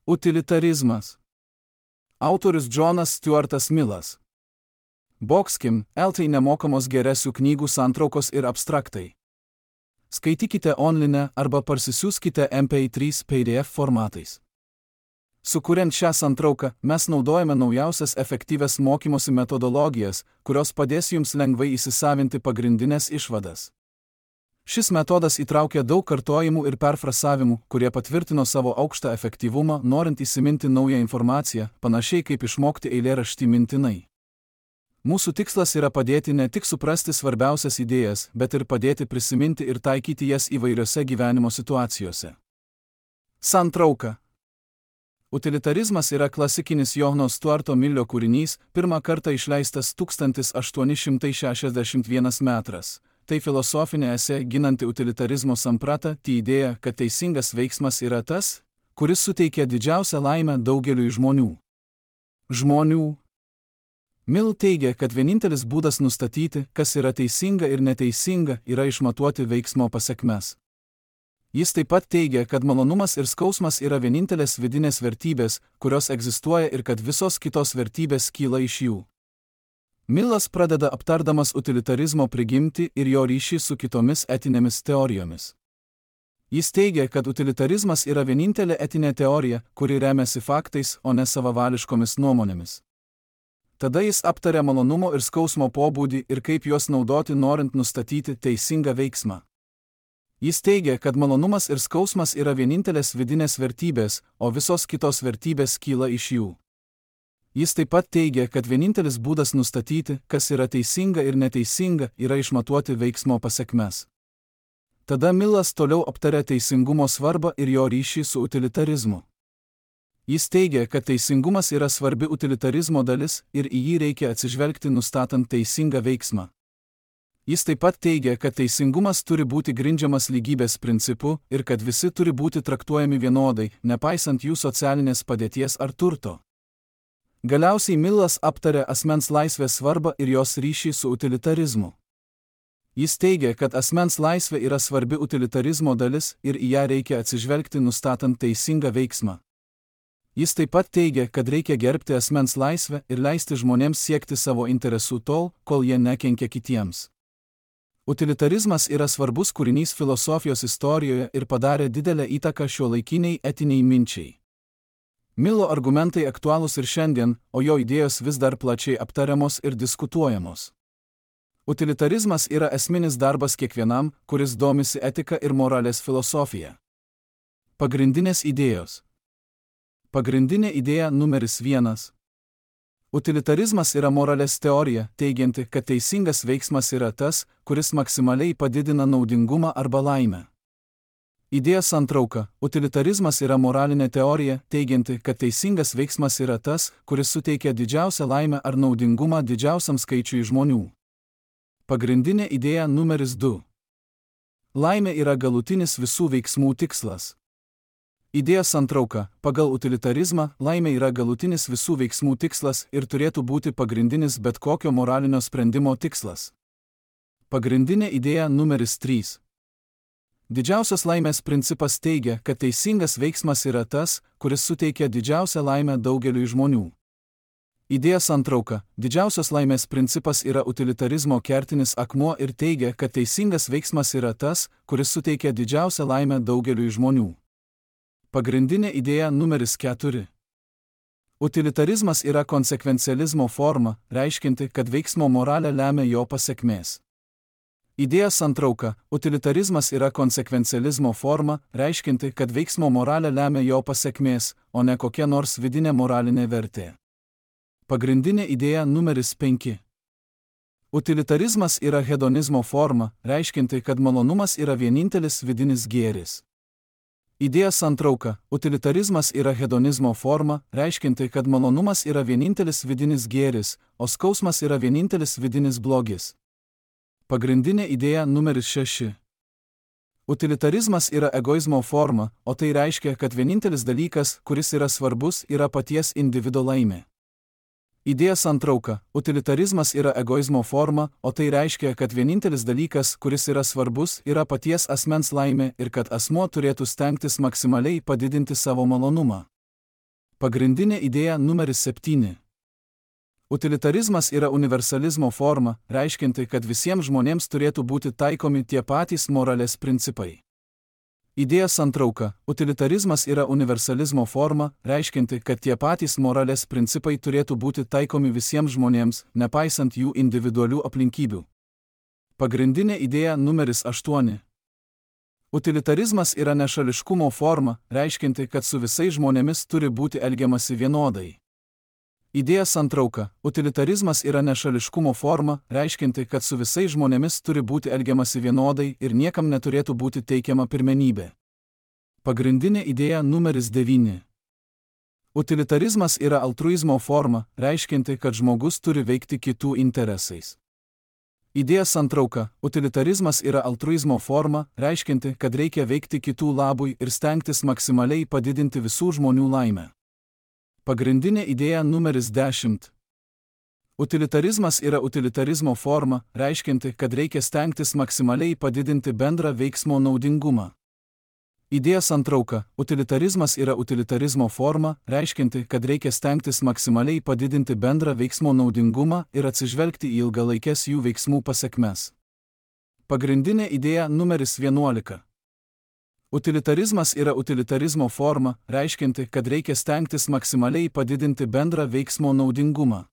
Utilitarizmas. Autorius Džonas Stuartas Millas. Boxkim, LT nemokamos geresių knygų santraukos ir abstraktai. Skaitykite online arba parsisiųskite MP3 PDF formatais. Sukuriant šią santrauką, mes naudojame naujausias efektyvias mokymosi metodologijas, kurios padės jums lengvai įsisavinti pagrindinės išvadas. Šis metodas įtraukia daug kartojimų ir perfrasavimų, kurie patvirtino savo aukštą efektyvumą, norint įsiminti naują informaciją, panašiai kaip išmokti eilėraštį mintinai. Mūsų tikslas yra padėti ne tik suprasti svarbiausias idėjas, bet ir padėti prisiminti ir taikyti jas įvairiose gyvenimo situacijose. Santrauka. Utilitarizmas yra klasikinis Johno Stuarto Millio kūrinys, pirmą kartą išleistas 1861 metras. Tai filosofinė esė ginanti utilitarizmo sampratą, tai idėja, kad teisingas veiksmas yra tas, kuris suteikia didžiausią laimę daugeliui žmonių. Mill teigia, kad vienintelis būdas nustatyti, kas yra teisinga ir neteisinga, yra išmatuoti veiksmo pasekmes. Jis taip pat teigia, kad malonumas ir skausmas yra vienintelės vidinės vertybės, kurios egzistuoja ir kad visos kitos vertybės kyla iš jų. Millas pradeda aptardamas utilitarizmo prigimtį ir jo ryšį su kitomis etinėmis teorijomis. Jis teigia, kad utilitarizmas yra vienintelė etinė teorija, kuri remiasi faktais, o ne savavališkomis nuomonėmis. Tada jis aptaria malonumo ir skausmo pobūdį ir kaip juos naudoti norint nustatyti teisingą veiksmą. Jis teigia, kad malonumas ir skausmas yra vienintelės vidinės vertybės, o visos kitos vertybės kyla iš jų. Jis taip pat teigia, kad vienintelis būdas nustatyti, kas yra teisinga ir neteisinga, yra išmatuoti veiksmo pasekmes. Tada Millas toliau aptaria teisingumo svarbą ir jo ryšį su utilitarizmu. Jis teigia, kad teisingumas yra svarbi utilitarizmo dalis ir į jį reikia atsižvelgti nustatant teisingą veiksmą. Jis taip pat teigia, kad teisingumas turi būti grindžiamas lygybės principu ir kad visi turi būti traktuojami vienodai, nepaisant jų socialinės padėties ar turto. Galiausiai Millas aptarė asmens laisvės svarbą ir jos ryšį su utilitarizmu. Jis teigia, kad asmens laisvė yra svarbi utilitarizmo dalis ir į ją reikia atsižvelgti nustatant teisingą veiksmą. Jis taip pat teigia, kad reikia gerbti asmens laisvę ir leisti žmonėms siekti savo interesų tol, kol jie nekenkia kitiems. Utilitarizmas yra svarbus kūrinys filosofijos istorijoje ir padarė didelę įtaką šiuolaikiniai etiniai minčiai. Millo argumentai aktualūs ir šiandien, o jo idėjos vis dar plačiai aptariamos ir diskutuojamos. Utilitarizmas yra esminis darbas kiekvienam, kuris domisi etika ir moralės filosofija. Pagrindinės idėjos. Pagrindinė idėja numeris 1. Utilitarizmas yra moralės teorija, teigianti, kad teisingas veiksmas yra tas, kuris maksimaliai padidina naudingumą arba laimę. Idėja santrauka. Utilitarizmas yra moralinė teorija, teigianti, kad teisingas veiksmas yra tas, kuris suteikia didžiausią laimę ar naudingumą didžiausiam skaičiui žmonių. Pagrindinė idėja numeris 2. Laimė yra galutinis visų veiksmų tikslas. Idėja santrauka. Pagal utilitarizmą, laimė yra galutinis visų veiksmų tikslas ir turėtų būti pagrindinis bet kokio moralinio sprendimo tikslas. Pagrindinė idėja numeris 3. Didžiausios laimės principas teigia, kad teisingas veiksmas yra tas, kuris suteikia didžiausią laimę daugeliui žmonių. Idėja santrauka. Didžiausios laimės principas yra utilitarizmo kertinis akmuo ir teigia, kad teisingas veiksmas yra tas, kuris suteikia didžiausią laimę daugeliui žmonių. Pagrindinė idėja numeris 4. Utilitarizmas yra konsekvencializmo forma, reiškinti, kad veiksmo moralę lemia jo pasekmės. Idėja santrauka. Utilitarizmas yra konsekvencializmo forma, reiškinti, kad veiksmo moralę lemia jo pasekmės, o ne kokia nors vidinė moralinė vertė. Pagrindinė idėja numeris 5. Utilitarizmas yra hedonizmo forma, reiškinti, kad malonumas yra vienintelis vidinis gėris. Idėja santrauka. Utilitarizmas yra hedonizmo forma, reiškinti, kad malonumas yra vienintelis vidinis gėris, o skausmas yra vienintelis vidinis blogis. Pagrindinė idėja numeris 6. Utilitarizmas yra egoizmo forma, o tai reiškia, kad vienintelis dalykas, kuris yra svarbus, yra paties individo laimė. Idėja santrauka. Utilitarizmas yra egoizmo forma, o tai reiškia, kad vienintelis dalykas, kuris yra svarbus, yra paties asmens laimė ir kad asmuo turėtų stengtis maksimaliai padidinti savo malonumą. Pagrindinė idėja numeris 7. Utilitarizmas yra universalizmo forma, reiškianti, kad visiems žmonėms turėtų būti taikomi tie patys moralės principai. Idėja santrauka. Utilitarizmas yra universalizmo forma, reiškianti, kad tie patys moralės principai turėtų būti taikomi visiems žmonėms, nepaisant jų individualių aplinkybių. Pagrindinė idėja numeris 8. Utilitarizmas yra nešališkumo forma, reiškianti, kad su visais žmonėmis turi būti elgiamasi vienodai. Idėja santrauka. Utilitarizmas yra nešališkumo forma, reiškianti, kad su visais žmonėmis turi būti elgiamasi vienodai ir niekam neturėtų būti teikiama pirmenybė. Pagrindinė idėja numeris 9. Utilitarizmas yra altruizmo forma, reiškianti, kad žmogus turi veikti kitų interesais. Idėja santrauka. Utilitarizmas yra altruizmo forma, reiškianti, kad reikia veikti kitų labui ir stengtis maksimaliai padidinti visų žmonių laimę. Pagrindinė idėja numeris 10. Utilitarizmas yra utilitarizmo forma, reiškianti, kad reikia stengtis maksimaliai padidinti bendrą veiksmo naudingumą. Idėja santrauka. Utilitarizmas yra utilitarizmo forma, reiškianti, kad reikia stengtis maksimaliai padidinti bendrą veiksmo naudingumą ir atsižvelgti į ilgalaikes jų veiksmų pasekmes. Pagrindinė idėja numeris 11. Utilitarizmas yra utilitarizmo forma, reiškianti, kad reikia stengtis maksimaliai padidinti bendrą veiksmo naudingumą.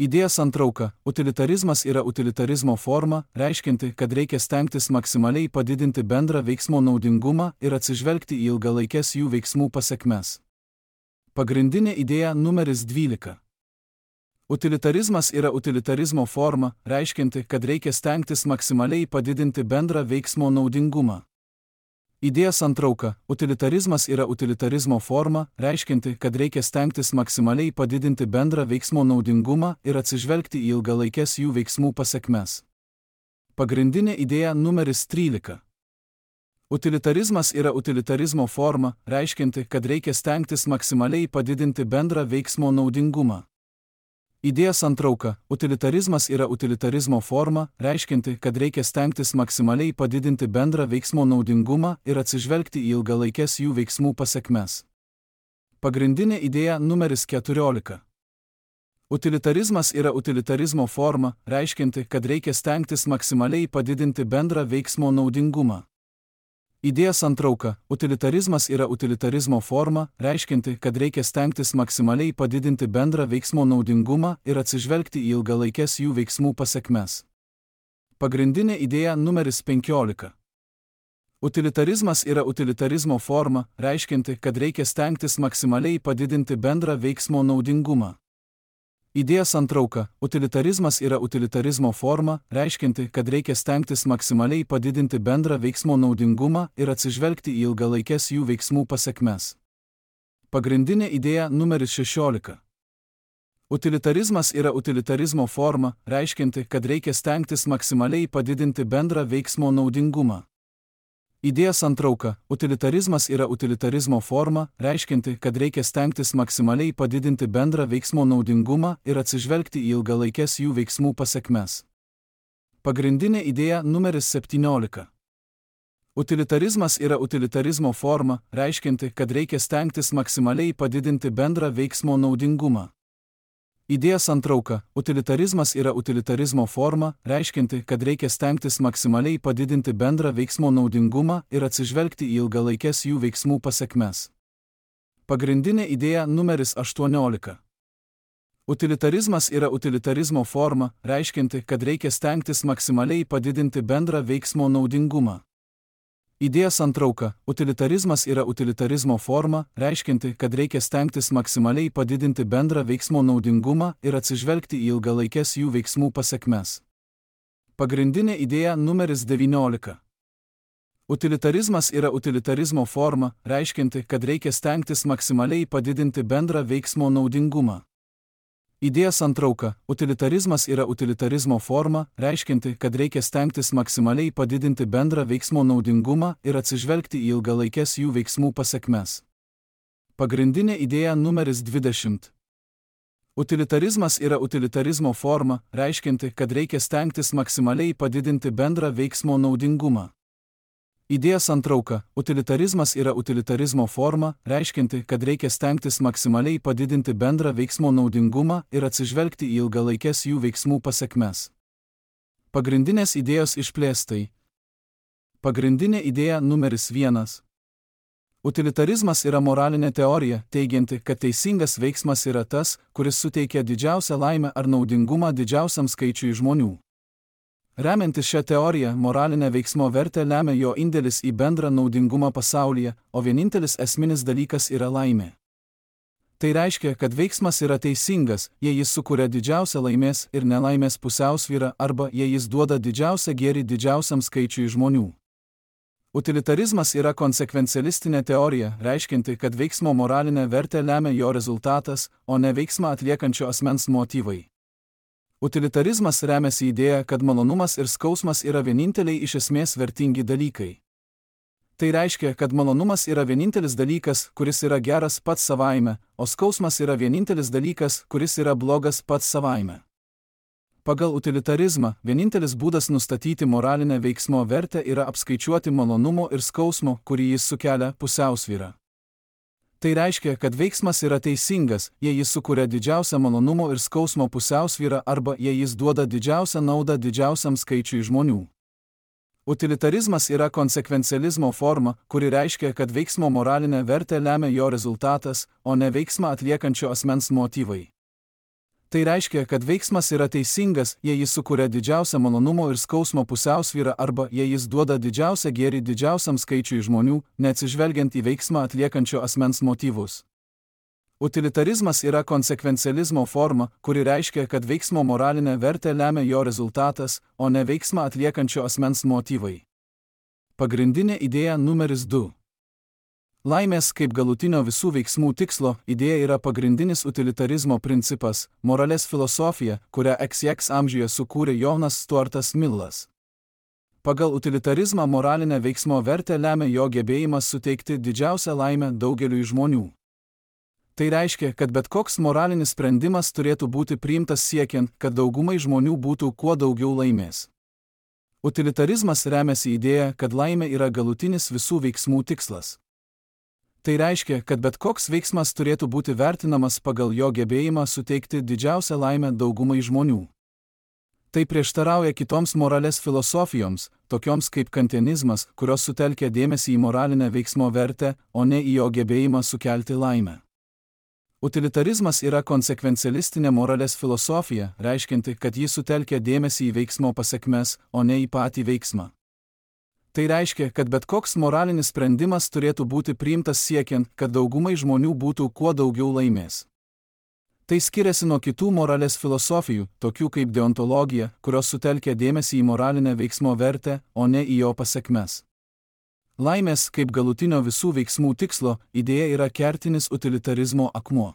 Idėja santrauka. Utilitarizmas yra utilitarizmo forma, reiškianti, kad reikia stengtis maksimaliai padidinti bendrą veiksmo naudingumą ir atsižvelgti į ilgalaikes jų veiksmų pasekmes. Pagrindinė idėja numeris 12. Utilitarizmas yra utilitarizmo forma, reiškianti, kad reikia stengtis maksimaliai padidinti bendrą veiksmo naudingumą. Idėja santrauka. Utilitarizmas yra utilitarizmo forma, reiškianti, kad reikia stengtis maksimaliai padidinti bendrą veiksmo naudingumą ir atsižvelgti į ilgalaikes jų veiksmų pasekmes. Pagrindinė idėja numeris 13. Utilitarizmas yra utilitarizmo forma, reiškianti, kad reikia stengtis maksimaliai padidinti bendrą veiksmo naudingumą. Idėja santrauka. Utilitarizmas yra utilitarizmo forma, reiškianti, kad reikia stengtis maksimaliai padidinti bendrą veiksmo naudingumą ir atsižvelgti į ilgalaikes jų veiksmų pasekmes. Pagrindinė idėja numeris 14. Utilitarizmas yra utilitarizmo forma, reiškianti, kad reikia stengtis maksimaliai padidinti bendrą veiksmo naudingumą. Idėja santrauka. Utilitarizmas yra utilitarizmo forma, reiškianti, kad reikia stengtis maksimaliai padidinti bendrą veiksmo naudingumą ir atsižvelgti į ilgalaikes jų veiksmų pasekmes. Pagrindinė idėja numeris 15. Utilitarizmas yra utilitarizmo forma, reiškianti, kad reikia stengtis maksimaliai padidinti bendrą veiksmo naudingumą. Idėja santrauka. Utilitarizmas yra utilitarizmo forma, reiškianti, kad reikia stengtis maksimaliai padidinti bendrą veiksmo naudingumą ir atsižvelgti į ilgalaikes jų veiksmų pasekmes. Pagrindinė idėja numeris 16. Utilitarizmas yra utilitarizmo forma, reiškianti, kad reikia stengtis maksimaliai padidinti bendrą veiksmo naudingumą. Idėja santrauka. Utilitarizmas yra utilitarizmo forma, reiškianti, kad reikia stengtis maksimaliai padidinti bendrą veiksmo naudingumą ir atsižvelgti į ilgalaikes jų veiksmų pasekmes. Pagrindinė idėja numeris 17. Utilitarizmas yra utilitarizmo forma, reiškianti, kad reikia stengtis maksimaliai padidinti bendrą veiksmo naudingumą. Idėja santrauka. Utilitarizmas yra utilitarizmo forma, reiškianti, kad reikia stengtis maksimaliai padidinti bendrą veiksmo naudingumą ir atsižvelgti į ilgalaikes jų veiksmų pasekmes. Pagrindinė idėja numeris 18. Utilitarizmas yra utilitarizmo forma, reiškianti, kad reikia stengtis maksimaliai padidinti bendrą veiksmo naudingumą. Idėja santrauka. Utilitarizmas yra utilitarizmo forma, reiškianti, kad reikia stengtis maksimaliai padidinti bendrą veiksmo naudingumą ir atsižvelgti į ilgalaikes jų veiksmų pasekmes. Pagrindinė idėja numeris 19. Utilitarizmas yra utilitarizmo forma, reiškianti, kad reikia stengtis maksimaliai padidinti bendrą veiksmo naudingumą. Idėja santrauka. Utilitarizmas yra utilitarizmo forma, reiškianti, kad reikia stengtis maksimaliai padidinti bendrą veiksmo naudingumą ir atsižvelgti į ilgalaikes jų veiksmų pasekmes. Pagrindinė idėja numeris 20. Utilitarizmas yra utilitarizmo forma, reiškianti, kad reikia stengtis maksimaliai padidinti bendrą veiksmo naudingumą. Idėjos santrauka. Utilitarizmas yra utilitarizmo forma, reiškianti, kad reikia stengtis maksimaliai padidinti bendrą veiksmo naudingumą ir atsižvelgti į ilgalaikes jų veiksmų pasekmes. Pagrindinės idėjos išplėstai. Pagrindinė idėja numeris 1. Utilitarizmas yra moralinė teorija, teigianti, kad teisingas veiksmas yra tas, kuris suteikia didžiausią laimę ar naudingumą didžiausiam skaičiui žmonių. Remiantis šią teoriją, moralinę veiksmo vertę lemia jo indėlis į bendrą naudingumą pasaulyje, o vienintelis esminis dalykas yra laimė. Tai reiškia, kad veiksmas yra teisingas, jei jis sukuria didžiausią laimės ir nelaimės pusiausvyrą arba jei jis duoda didžiausią gėrį didžiausiam skaičiui žmonių. Utilitarizmas yra konsekvencialistinė teorija, reiškianti, kad veiksmo moralinę vertę lemia jo rezultatas, o ne veiksmą atliekančio asmens motyvai. Utilitarizmas remiasi idėja, kad malonumas ir skausmas yra vieninteliai iš esmės vertingi dalykai. Tai reiškia, kad malonumas yra vienintelis dalykas, kuris yra geras pats savaime, o skausmas yra vienintelis dalykas, kuris yra blogas pats savaime. Pagal utilitarizmą, vienintelis būdas nustatyti moralinę veiksmo vertę yra apskaičiuoti malonumo ir skausmo, kurį jis sukelia, pusiausvyrą. Tai reiškia, kad veiksmas yra teisingas, jei jis sukuria didžiausią malonumo ir skausmo pusiausvyrą arba jei jis duoda didžiausią naudą didžiausiam skaičiui žmonių. Utilitarizmas yra konsekvencializmo forma, kuri reiškia, kad veiksmo moralinę vertę lemia jo rezultatas, o ne veiksmą atliekančio asmens motyvai. Tai reiškia, kad veiksmas yra teisingas, jei jis sukuria didžiausią malonumo ir skausmo pusiausvyrą arba jei jis duoda didžiausią gėrį didžiausiam skaičiui žmonių, neatsižvelgiant į veiksmą atliekančio asmens motyvus. Utilitarizmas yra konsekvencializmo forma, kuri reiškia, kad veiksmo moralinę vertę lemia jo rezultatas, o ne veiksmą atliekančio asmens motyvai. Pagrindinė idėja numeris 2. Laimės kaip galutinio visų veiksmų tikslo idėja yra pagrindinis utilitarizmo principas, moralės filosofija, kurią XX amžiuje sukūrė Jonas Stuartas Millas. Pagal utilitarizmą moralinę veiksmo vertę lemia jo gebėjimas suteikti didžiausią laimę daugeliui žmonių. Tai reiškia, kad bet koks moralinis sprendimas turėtų būti priimtas siekiant, kad daugumai žmonių būtų kuo daugiau laimės. Utilitarizmas remiasi idėja, kad laimė yra galutinis visų veiksmų tikslas. Tai reiškia, kad bet koks veiksmas turėtų būti vertinamas pagal jo gebėjimą suteikti didžiausią laimę daugumai žmonių. Tai prieštarauja kitoms moralės filosofijoms, tokioms kaip kantianizmas, kurios sutelkia dėmesį į moralinę veiksmo vertę, o ne į jo gebėjimą sukelti laimę. Utilitarizmas yra konsekvencialistinė moralės filosofija, reiškianti, kad ji sutelkia dėmesį į veiksmo pasekmes, o ne į patį veiksmą. Tai reiškia, kad bet koks moralinis sprendimas turėtų būti priimtas siekiant, kad daugumai žmonių būtų kuo daugiau laimės. Tai skiriasi nuo kitų moralės filosofijų, tokių kaip deontologija, kurios sutelkia dėmesį į moralinę veiksmo vertę, o ne į jo pasekmes. Laimės kaip galutinio visų veiksmų tikslo idėja yra kertinis utilitarizmo akmuo.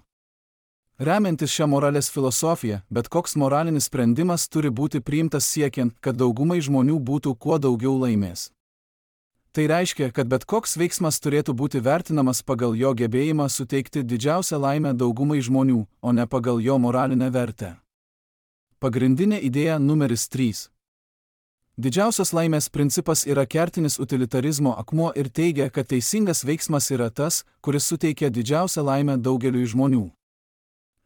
Remiantis šią moralės filosofiją, bet koks moralinis sprendimas turi būti priimtas siekiant, kad daugumai žmonių būtų kuo daugiau laimės. Tai reiškia, kad bet koks veiksmas turėtų būti vertinamas pagal jo gebėjimą suteikti didžiausią laimę daugumai žmonių, o ne pagal jo moralinę vertę. Pagrindinė idėja numeris 3. Didžiausias laimės principas yra kertinis utilitarizmo akmuo ir teigia, kad teisingas veiksmas yra tas, kuris suteikia didžiausią laimę daugeliui žmonių.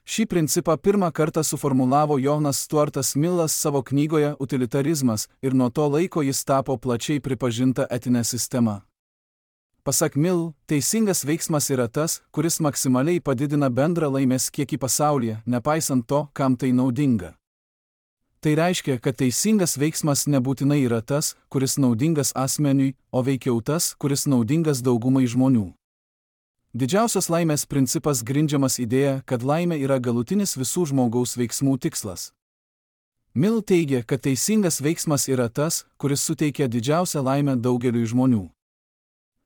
Šį principą pirmą kartą suformulavo Jonas Stuartas Millas savo knygoje Utilitarizmas ir nuo to laiko jis tapo plačiai pripažinta etinė sistema. Pasak Mill, teisingas veiksmas yra tas, kuris maksimaliai padidina bendrą laimės kiekį pasaulyje, nepaisant to, kam tai naudinga. Tai reiškia, kad teisingas veiksmas nebūtinai yra tas, kuris naudingas asmeniui, o veikiau tas, kuris naudingas daugumai žmonių. Didžiausios laimės principas grindžiamas idėja, kad laimė yra galutinis visų žmogaus veiksmų tikslas. Mill teigia, kad teisingas veiksmas yra tas, kuris suteikia didžiausią laimę daugeliui žmonių.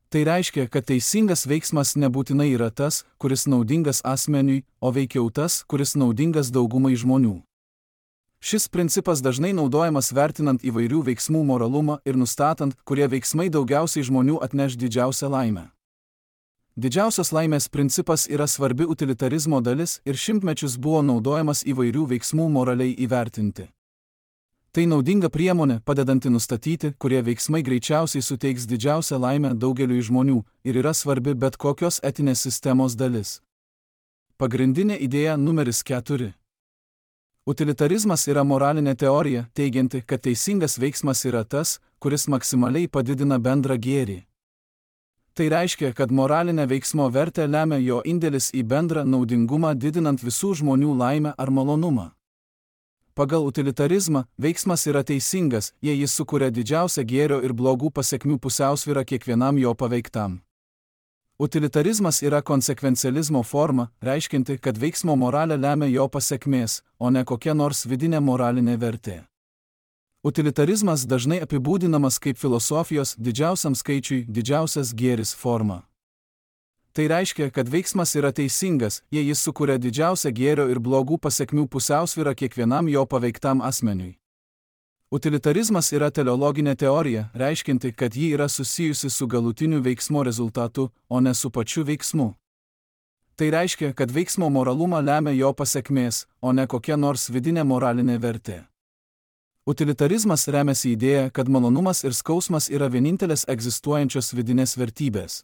Tai reiškia, kad teisingas veiksmas nebūtinai yra tas, kuris naudingas asmeniui, o veikiau tas, kuris naudingas daugumai žmonių. Šis principas dažnai naudojamas vertinant įvairių veiksmų moralumą ir nustatant, kurie veiksmai daugiausiai žmonių atneš didžiausią laimę. Didžiausios laimės principas yra svarbi utilitarizmo dalis ir šimtmečius buvo naudojamas įvairių veiksmų moraliai įvertinti. Tai naudinga priemonė, padedanti nustatyti, kurie veiksmai greičiausiai suteiks didžiausią laimę daugeliui žmonių ir yra svarbi bet kokios etinės sistemos dalis. Pagrindinė idėja numeris 4. Utilitarizmas yra moralinė teorija, teigianti, kad teisingas veiksmas yra tas, kuris maksimaliai padidina bendrą gėrį. Tai reiškia, kad moralinė veiksmo vertė lemia jo indėlis į bendrą naudingumą, didinant visų žmonių laimę ar malonumą. Pagal utilitarizmą, veiksmas yra teisingas, jei jis sukuria didžiausią gėrio ir blogų pasekmių pusiausvyrą kiekvienam jo paveiktam. Utilitarizmas yra konsekvencializmo forma, reiškinti, kad veiksmo moralę lemia jo pasekmės, o ne kokia nors vidinė moralinė vertė. Utilitarizmas dažnai apibūdinamas kaip filosofijos didžiausiam skaičiui didžiausias gėris forma. Tai reiškia, kad veiksmas yra teisingas, jei jis sukuria didžiausią gėrio ir blogų pasekmių pusiausvyrą kiekvienam jo paveiktam asmeniui. Utilitarizmas yra teleologinė teorija, reiškinti, kad ji yra susijusi su galutiniu veiksmo rezultatu, o ne su pačiu veiksmu. Tai reiškia, kad veiksmo moralumą lemia jo pasekmės, o ne kokia nors vidinė moralinė vertė. Utilitarizmas remiasi idėja, kad malonumas ir skausmas yra vienintelės egzistuojančios vidinės vertybės.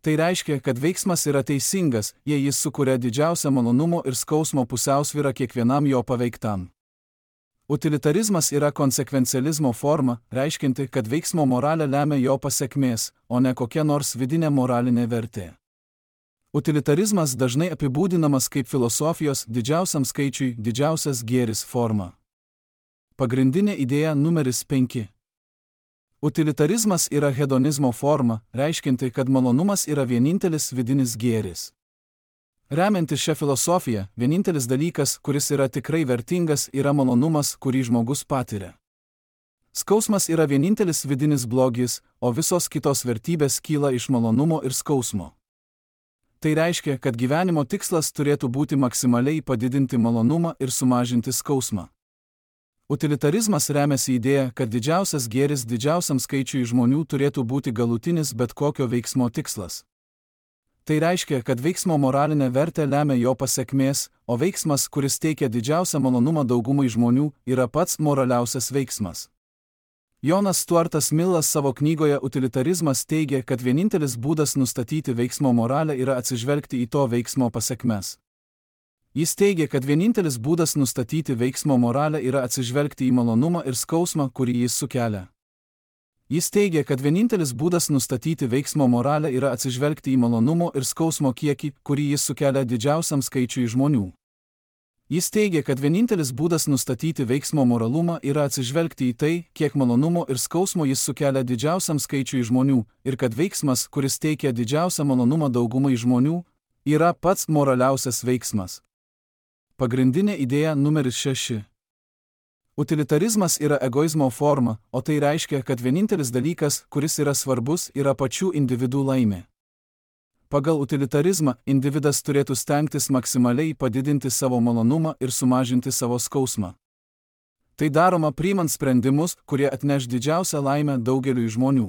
Tai reiškia, kad veiksmas yra teisingas, jei jis sukuria didžiausią malonumo ir skausmo pusiausvyrą kiekvienam jo paveiktam. Utilitarizmas yra konsekvencializmo forma, reiškinti, kad veiksmo moralę lemia jo pasekmės, o ne kokia nors vidinė moralinė vertė. Utilitarizmas dažnai apibūdinamas kaip filosofijos didžiausiam skaičiui didžiausias gėris forma. Pagrindinė idėja numeris 5. Utilitarizmas yra hedonizmo forma, reiškinti, kad malonumas yra vienintelis vidinis gėris. Remiantis šią filosofiją, vienintelis dalykas, kuris yra tikrai vertingas, yra malonumas, kurį žmogus patiria. Skausmas yra vienintelis vidinis blogis, o visos kitos vertybės kyla iš malonumo ir skausmo. Tai reiškia, kad gyvenimo tikslas turėtų būti maksimaliai padidinti malonumą ir sumažinti skausmą. Utilitarizmas remiasi idėja, kad didžiausias gėris didžiausiam skaičiui žmonių turėtų būti galutinis bet kokio veiksmo tikslas. Tai reiškia, kad veiksmo moralinė vertė lemia jo pasekmės, o veiksmas, kuris teikia didžiausią malonumą daugumai žmonių, yra pats moraliausias veiksmas. Jonas Stuartas Millas savo knygoje Utilitarizmas teigia, kad vienintelis būdas nustatyti veiksmo moralę yra atsižvelgti į to veiksmo pasekmes. Jis teigia, kad vienintelis būdas nustatyti veiksmo moralę yra atsižvelgti į malonumą ir skausmą, kurį jis sukelia. Jis teigia, kad vienintelis būdas nustatyti veiksmo moralę yra atsižvelgti į malonumo ir skausmo kiekį, kurį jis sukelia didžiausiam skaičiui žmonių. Jis teigia, kad vienintelis būdas nustatyti veiksmo moralumą yra atsižvelgti į tai, kiek malonumo ir skausmo jis sukelia didžiausiam skaičiui žmonių, ir kad veiksmas, kuris teikia didžiausią malonumą daugumai žmonių, yra pats moraliausias veiksmas. Pagrindinė idėja numeris 6. Utilitarizmas yra egoizmo forma, o tai reiškia, kad vienintelis dalykas, kuris yra svarbus, yra pačių individų laimė. Pagal utilitarizmą, individas turėtų stengtis maksimaliai padidinti savo malonumą ir sumažinti savo skausmą. Tai daroma priimant sprendimus, kurie atneš didžiausią laimę daugeliui žmonių.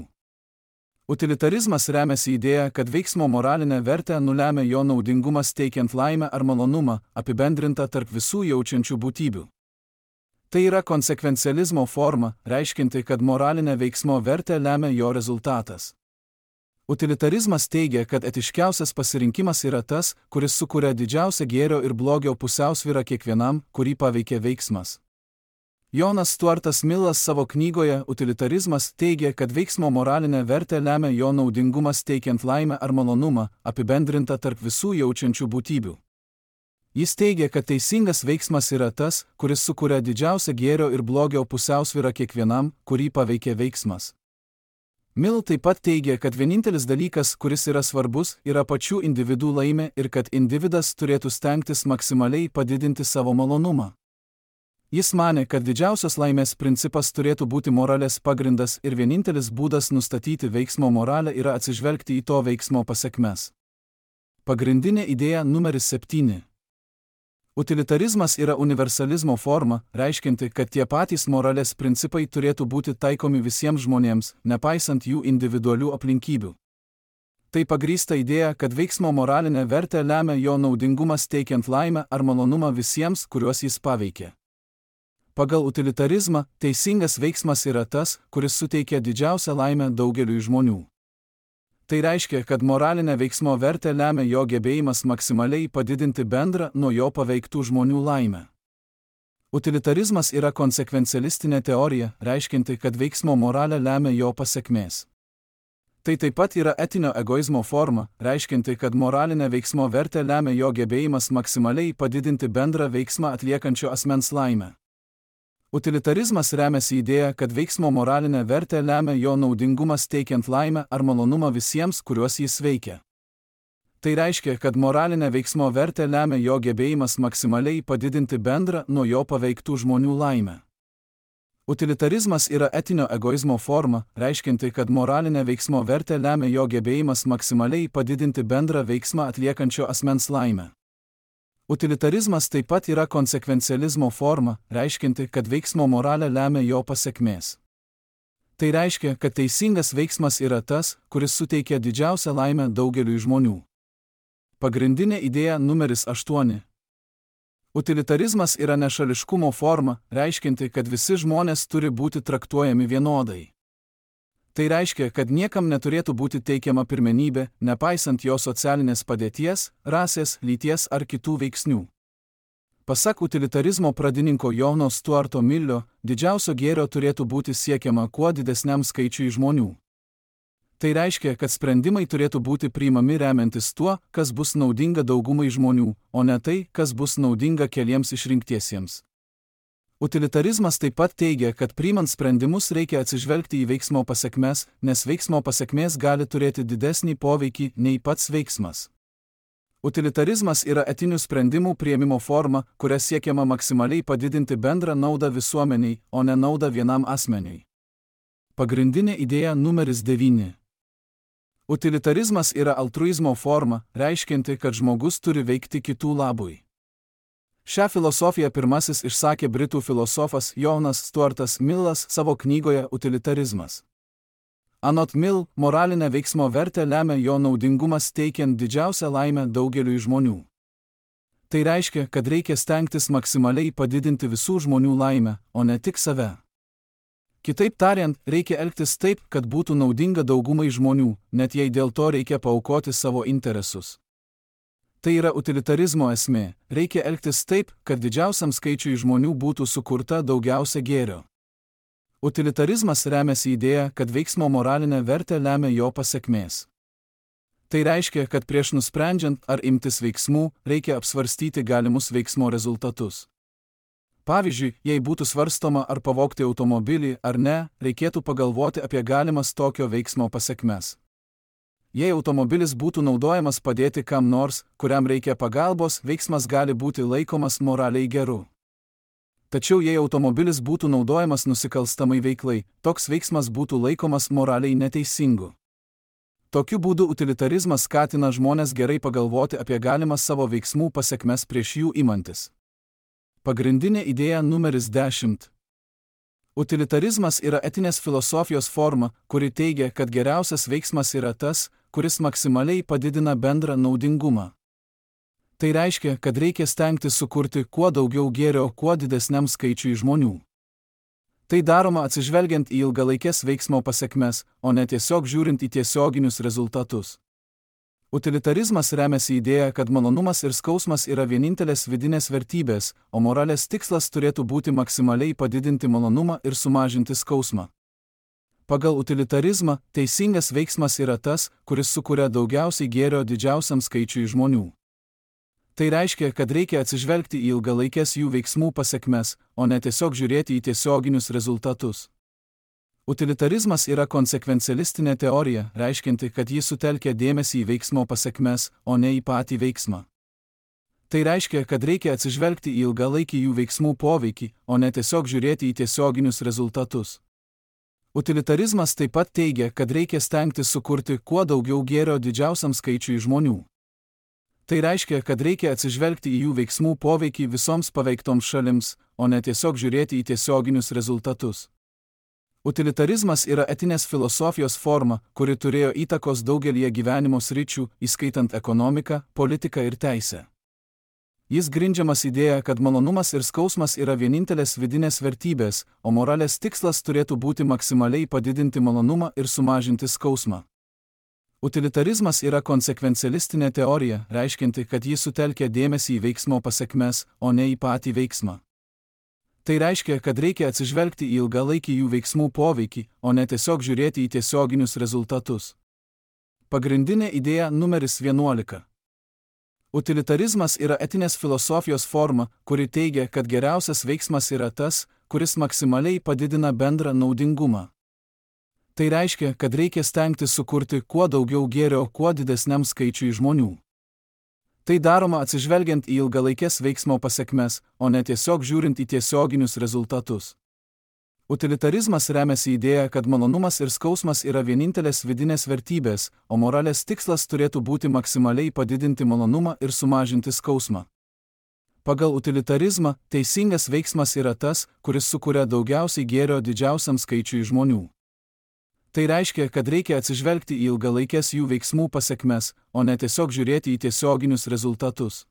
Utilitarizmas remiasi idėja, kad veiksmo moralinę vertę nulemia jo naudingumas teikiant laimę ar malonumą, apibendrinta tarp visų jaučiančių būtybių. Tai yra konsekvencializmo forma, reiškinti, kad moralinę veiksmo vertę lemia jo rezultatas. Utilitarizmas teigia, kad etiškiausias pasirinkimas yra tas, kuris sukuria didžiausią gėrio ir blogio pusiausvyrą kiekvienam, kurį paveikia veiksmas. Jonas Stuartas Millas savo knygoje Utilitarizmas teigia, kad veiksmo moralinę vertę lemia jo naudingumas teikiant laimę ar malonumą, apibendrinta tarp visų jaučiančių būtybių. Jis teigia, kad teisingas veiksmas yra tas, kuris sukuria didžiausią gėrio ir blogio pusiausvyrą kiekvienam, kurį paveikia veiksmas. Mill taip pat teigia, kad vienintelis dalykas, kuris yra svarbus, yra pačių individų laimė ir kad individas turėtų stengtis maksimaliai padidinti savo malonumą. Jis manė, kad didžiausios laimės principas turėtų būti moralės pagrindas ir vienintelis būdas nustatyti veiksmo moralę yra atsižvelgti į to veiksmo pasekmes. Pagrindinė idėja numeris 7. Utilitarizmas yra universalizmo forma, reiškinti, kad tie patys moralės principai turėtų būti taikomi visiems žmonėms, nepaisant jų individualių aplinkybių. Tai pagrįsta idėja, kad veiksmo moralinę vertę lemia jo naudingumas teikiant laimę ar malonumą visiems, kuriuos jis paveikia. Pagal utilitarizmą, teisingas veiksmas yra tas, kuris suteikia didžiausią laimę daugeliui žmonių. Tai reiškia, kad moralinę veiksmo vertę lemia jo gebėjimas maksimaliai padidinti bendrą nuo jo paveiktų žmonių laimę. Utilitarizmas yra konsekvencialistinė teorija, reiškinti, kad veiksmo moralę lemia jo pasekmės. Tai taip pat yra etinio egoizmo forma, reiškinti, kad moralinę veiksmo vertę lemia jo gebėjimas maksimaliai padidinti bendrą veiksmą atliekančio asmens laimę. Utilitarizmas remiasi idėja, kad veiksmo moralinę vertę lemia jo naudingumas teikiant laimę ar malonumą visiems, kuriuos jis veikia. Tai reiškia, kad moralinę veiksmo vertę lemia jo gebėjimas maksimaliai padidinti bendrą nuo jo paveiktų žmonių laimę. Utilitarizmas yra etinio egoizmo forma, reiškinti, kad moralinę veiksmo vertę lemia jo gebėjimas maksimaliai padidinti bendrą veiksmą atliekančio asmens laimę. Utilitarizmas taip pat yra konsekvencializmo forma, reiškinti, kad veiksmo moralę lemia jo pasekmės. Tai reiškia, kad teisingas veiksmas yra tas, kuris suteikia didžiausią laimę daugeliui žmonių. Pagrindinė idėja numeris 8. Utilitarizmas yra nešališkumo forma, reiškinti, kad visi žmonės turi būti traktuojami vienodai. Tai reiškia, kad niekam neturėtų būti teikiama pirmenybė, nepaisant jo socialinės padėties, rasės, lyties ar kitų veiksnių. Pasak utilitarizmo pradininko Johno Stuarto Millio, didžiausio gėrio turėtų būti siekiama kuo didesniam skaičiui žmonių. Tai reiškia, kad sprendimai turėtų būti priimami remiantis tuo, kas bus naudinga daugumai žmonių, o ne tai, kas bus naudinga keliems išrinktiesiems. Utilitarizmas taip pat teigia, kad priimant sprendimus reikia atsižvelgti į veiksmo pasekmes, nes veiksmo pasekmės gali turėti didesnį poveikį nei pats veiksmas. Utilitarizmas yra etinių sprendimų priėmimo forma, kuria siekiama maksimaliai padidinti bendrą naudą visuomeniai, o ne naudą vienam asmeniui. Pagrindinė idėja numeris 9. Utilitarizmas yra altruizmo forma, reiškinti, kad žmogus turi veikti kitų labui. Šią filosofiją pirmasis išsakė britų filosofas Johnas Stuartas Millas savo knygoje Utilitarizmas. Anot Mill, moralinę veiksmo vertę lemia jo naudingumas teikiant didžiausią laimę daugeliui žmonių. Tai reiškia, kad reikia stengtis maksimaliai padidinti visų žmonių laimę, o ne tik save. Kitaip tariant, reikia elgtis taip, kad būtų naudinga daugumai žmonių, net jei dėl to reikia paaukoti savo interesus. Tai yra utilitarizmo esmė, reikia elgtis taip, kad didžiausiam skaičiui žmonių būtų sukurta daugiausia gėrio. Utilitarizmas remiasi idėja, kad veiksmo moralinę vertę lemia jo pasekmės. Tai reiškia, kad prieš nusprendžiant ar imtis veiksmų, reikia apsvarstyti galimus veiksmo rezultatus. Pavyzdžiui, jei būtų svarstoma ar pavogti automobilį ar ne, reikėtų pagalvoti apie galimas tokio veiksmo pasekmes. Jei automobilis būtų naudojamas padėti kam nors, kuriam reikia pagalbos, veiksmas gali būti laikomas moraliai geru. Tačiau jei automobilis būtų naudojamas nusikalstamai veiklai, toks veiksmas būtų laikomas moraliai neteisingu. Tokiu būdu utilitarizmas skatina žmonės gerai pagalvoti apie galimas savo veiksmų pasekmes prieš jų imantis. Pagrindinė idėja numeris 10. Utilitarizmas yra etinės filosofijos forma, kuri teigia, kad geriausias veiksmas yra tas, kuris maksimaliai padidina bendrą naudingumą. Tai reiškia, kad reikia stengtis sukurti kuo daugiau gėrio kuo didesniam skaičiui žmonių. Tai daroma atsižvelgiant į ilgalaikės veiksmo pasekmes, o ne tiesiog žiūrint į tiesioginius rezultatus. Utilitarizmas remiasi idėja, kad malonumas ir skausmas yra vienintelės vidinės vertybės, o moralės tikslas turėtų būti maksimaliai padidinti malonumą ir sumažinti skausmą. Pagal utilitarizmą, teisingas veiksmas yra tas, kuris sukuria daugiausiai gėrio didžiausiam skaičiui žmonių. Tai reiškia, kad reikia atsižvelgti į ilgalaikės jų veiksmų pasekmes, o ne tiesiog žiūrėti į tiesioginius rezultatus. Utilitarizmas yra konsekvencialistinė teorija, reiškinti, kad ji sutelkia dėmesį į veiksmo pasekmes, o ne į patį veiksmą. Tai reiškia, kad reikia atsižvelgti į ilgalaikį jų veiksmų poveikį, o ne tiesiog žiūrėti į tiesioginius rezultatus. Utilitarizmas taip pat teigia, kad reikia stengtis sukurti kuo daugiau gėrio didžiausiam skaičiui žmonių. Tai reiškia, kad reikia atsižvelgti į jų veiksmų poveikį visoms paveiktoms šalims, o ne tiesiog žiūrėti į tiesioginius rezultatus. Utilitarizmas yra etinės filosofijos forma, kuri turėjo įtakos daugelyje gyvenimo sričių, įskaitant ekonomiką, politiką ir teisę. Jis grindžiamas idėja, kad malonumas ir skausmas yra vienintelės vidinės vertybės, o moralės tikslas turėtų būti maksimaliai padidinti malonumą ir sumažinti skausmą. Utilitarizmas yra konsekvencialistinė teorija, reiškianti, kad ji sutelkia dėmesį į veiksmo pasekmes, o ne į patį veiksmą. Tai reiškia, kad reikia atsižvelgti į ilgalaikį jų veiksmų poveikį, o ne tiesiog žiūrėti į tiesioginius rezultatus. Pagrindinė idėja numeris 11. Utilitarizmas yra etinės filosofijos forma, kuri teigia, kad geriausias veiksmas yra tas, kuris maksimaliai padidina bendrą naudingumą. Tai reiškia, kad reikia stengtis sukurti kuo daugiau gėrio kuo didesniam skaičiui žmonių. Tai daroma atsižvelgiant į ilgalaikės veiksmo pasekmes, o ne tiesiog žiūrint į tiesioginius rezultatus. Utilitarizmas remiasi idėja, kad malonumas ir skausmas yra vienintelės vidinės vertybės, o moralės tikslas turėtų būti maksimaliai padidinti malonumą ir sumažinti skausmą. Pagal utilitarizmą, teisingas veiksmas yra tas, kuris sukuria daugiausiai gėrio didžiausiam skaičiui žmonių. Tai reiškia, kad reikia atsižvelgti į ilgalaikės jų veiksmų pasekmes, o ne tiesiog žiūrėti į tiesioginius rezultatus.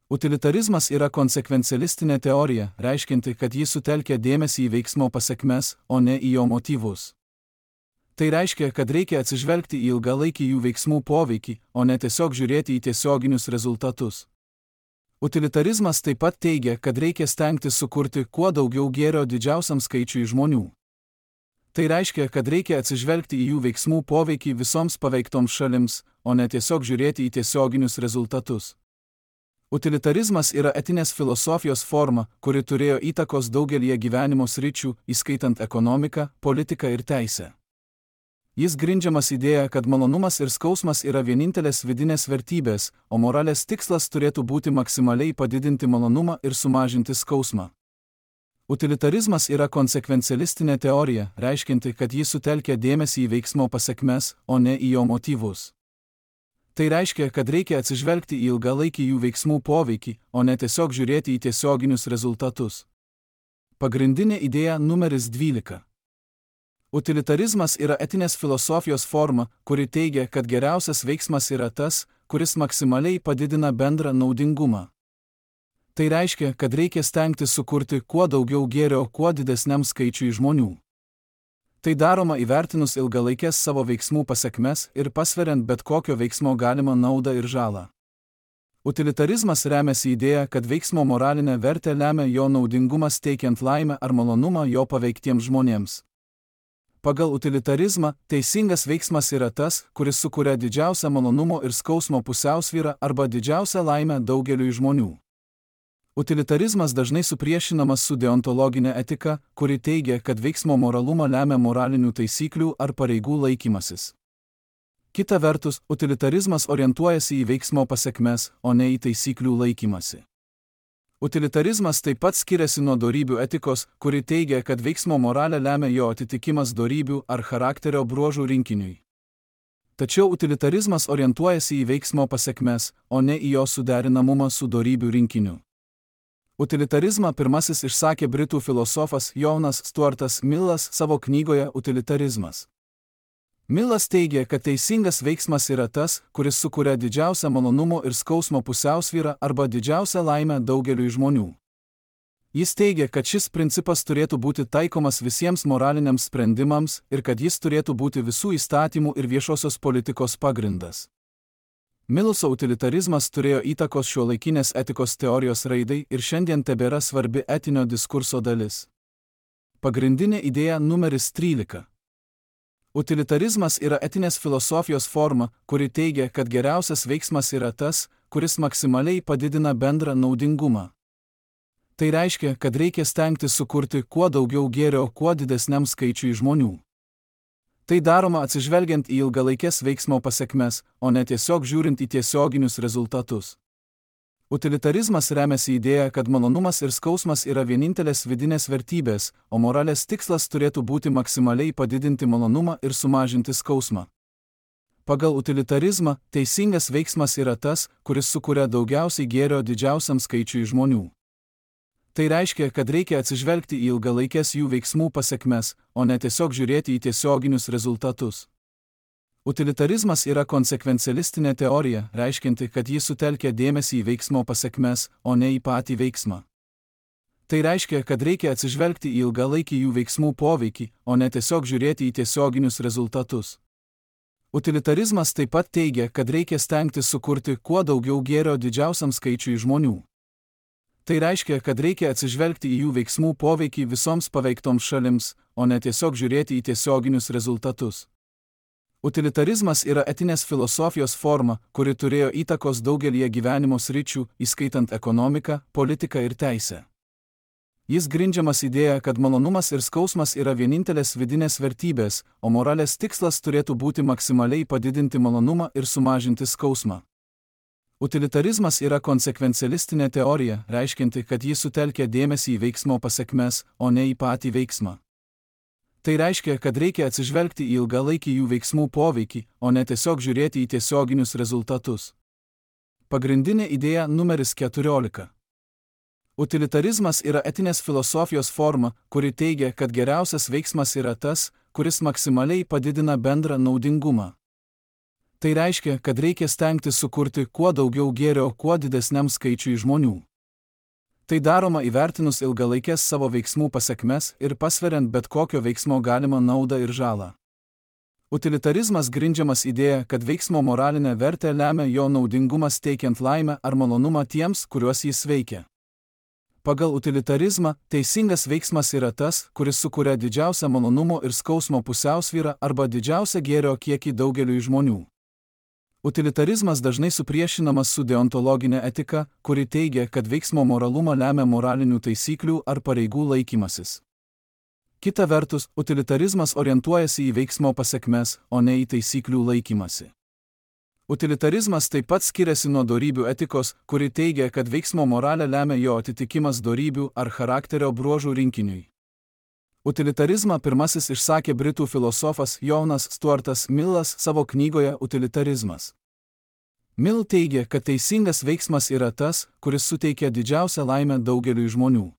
Utilitarizmas yra konsekvencialistinė teorija, reiškianti, kad ji sutelkia dėmesį į veiksmo pasekmes, o ne į jo motyvus. Tai reiškia, kad reikia atsižvelgti į ilgalaikį jų veiksmų poveikį, o ne tiesiog žiūrėti į tiesioginius rezultatus. Utilitarizmas taip pat teigia, kad reikia stengtis sukurti kuo daugiau gėrio didžiausiam skaičiui žmonių. Tai reiškia, kad reikia atsižvelgti į jų veiksmų poveikį visoms paveiktoms šalims, o ne tiesiog žiūrėti į tiesioginius rezultatus. Utilitarizmas yra etinės filosofijos forma, kuri turėjo įtakos daugelį gyvenimo sričių, įskaitant ekonomiką, politiką ir teisę. Jis grindžiamas idėja, kad malonumas ir skausmas yra vienintelės vidinės vertybės, o moralės tikslas turėtų būti maksimaliai padidinti malonumą ir sumažinti skausmą. Utilitarizmas yra konsekvencialistinė teorija, reiškianti, kad ji sutelkia dėmesį į veiksmo pasekmes, o ne į jo motyvus. Tai reiškia, kad reikia atsižvelgti į ilgalaikį jų veiksmų poveikį, o ne tiesiog žiūrėti į tiesioginius rezultatus. Pagrindinė idėja numeris 12. Utilitarizmas yra etinės filosofijos forma, kuri teigia, kad geriausias veiksmas yra tas, kuris maksimaliai padidina bendrą naudingumą. Tai reiškia, kad reikia stengtis sukurti kuo daugiau gėrio kuo didesniam skaičiui žmonių. Tai daroma įvertinus ilgalaikės savo veiksmų pasekmes ir pasveriant bet kokio veiksmo galimą naudą ir žalą. Utilitarizmas remiasi idėja, kad veiksmo moralinę vertę lemia jo naudingumas teikiant laimę ar malonumą jo paveiktiems žmonėms. Pagal utilitarizmą, teisingas veiksmas yra tas, kuris sukuria didžiausią malonumo ir skausmo pusiausvyrą arba didžiausią laimę daugeliui žmonių. Utilitarizmas dažnai supriešinamas su deontologinė etika, kuri teigia, kad veiksmo moralumą lemia moralinių taisyklių ar pareigų laikymasis. Kita vertus, utilitarizmas orientuojasi į veiksmo pasekmes, o ne į taisyklių laikymasi. Utilitarizmas taip pat skiriasi nuo dorybių etikos, kuri teigia, kad veiksmo moralę lemia jo atitikimas dorybių ar charakterio bruožų rinkiniui. Tačiau utilitarizmas orientuojasi į veiksmo pasekmes, o ne į jo suderinamumą su dorybių rinkiniu. Utilitarizmą pirmasis išsakė britų filosofas Jonas Stuartas Millas savo knygoje Utilitarizmas. Millas teigia, kad teisingas veiksmas yra tas, kuris sukuria didžiausią malonumo ir skausmo pusiausvyrą arba didžiausią laimę daugeliui žmonių. Jis teigia, kad šis principas turėtų būti taikomas visiems moraliniams sprendimams ir kad jis turėtų būti visų įstatymų ir viešosios politikos pagrindas. Miluso utilitarizmas turėjo įtakos šiuolaikinės etikos teorijos raidai ir šiandien tebėra svarbi etinio diskurso dalis. Pagrindinė idėja numeris 13. Utilitarizmas yra etinės filosofijos forma, kuri teigia, kad geriausias veiksmas yra tas, kuris maksimaliai padidina bendrą naudingumą. Tai reiškia, kad reikia stengtis sukurti kuo daugiau gėrio kuo didesniam skaičiui žmonių. Tai daroma atsižvelgiant į ilgalaikės veiksmo pasekmes, o ne tiesiog žiūrint į tiesioginius rezultatus. Utilitarizmas remiasi idėja, kad malonumas ir skausmas yra vienintelės vidinės vertybės, o moralės tikslas turėtų būti maksimaliai padidinti malonumą ir sumažinti skausmą. Pagal utilitarizmą, teisingas veiksmas yra tas, kuris sukuria daugiausiai gėrio didžiausiam skaičiui žmonių. Tai reiškia, kad reikia atsižvelgti į ilgalaikės jų veiksmų pasekmes, o ne tiesiog žiūrėti į tiesioginius rezultatus. Utilitarizmas yra konsekvencialistinė teorija, reiškianti, kad ji sutelkia dėmesį į veiksmo pasekmes, o ne į patį veiksmą. Tai reiškia, kad reikia atsižvelgti į ilgalaikį jų veiksmų poveikį, o ne tiesiog žiūrėti į tiesioginius rezultatus. Utilitarizmas taip pat teigia, kad reikia stengtis sukurti kuo daugiau gėrio didžiausiam skaičiui žmonių. Tai reiškia, kad reikia atsižvelgti į jų veiksmų poveikį visoms paveiktoms šalims, o ne tiesiog žiūrėti į tiesioginius rezultatus. Utilitarizmas yra etinės filosofijos forma, kuri turėjo įtakos daugelį gyvenimo sričių, įskaitant ekonomiką, politiką ir teisę. Jis grindžiamas idėja, kad malonumas ir skausmas yra vienintelės vidinės vertybės, o moralės tikslas turėtų būti maksimaliai padidinti malonumą ir sumažinti skausmą. Utilitarizmas yra konsekvencialistinė teorija, reiškianti, kad ji sutelkia dėmesį į veiksmo pasekmes, o ne į patį veiksmą. Tai reiškia, kad reikia atsižvelgti į ilgalaikį jų veiksmų poveikį, o ne tiesiog žiūrėti į tiesioginius rezultatus. Pagrindinė idėja numeris 14. Utilitarizmas yra etinės filosofijos forma, kuri teigia, kad geriausias veiksmas yra tas, kuris maksimaliai padidina bendrą naudingumą. Tai reiškia, kad reikia stengtis sukurti kuo daugiau gėrio kuo didesniam skaičiui žmonių. Tai daroma įvertinus ilgalaikės savo veiksmų pasekmes ir pasveriant bet kokio veiksmo galimą naudą ir žalą. Utilitarizmas grindžiamas idėja, kad veiksmo moralinę vertę lemia jo naudingumas teikiant laimę ar malonumą tiems, kuriuos jis veikia. Pagal utilitarizmą, teisingas veiksmas yra tas, kuris sukuria didžiausią malonumo ir skausmo pusiausvyrą arba didžiausią gėrio kiekį daugeliui žmonių. Utilitarizmas dažnai supriešinamas su deontologinė etika, kuri teigia, kad veiksmo moralumą lemia moralinių taisyklių ar pareigų laikymasis. Kita vertus, utilitarizmas orientuojasi į veiksmo pasekmes, o ne į taisyklių laikymasi. Utilitarizmas taip pat skiriasi nuo dorybių etikos, kuri teigia, kad veiksmo moralę lemia jo atitikimas dorybių ar charakterio bruožų rinkiniui. Utilitarizmą pirmasis išsakė britų filosofas Johnas Stuartas Millas savo knygoje Utilitarizmas. Mill teigia, kad teisingas veiksmas yra tas, kuris suteikia didžiausią laimę daugeliui žmonių.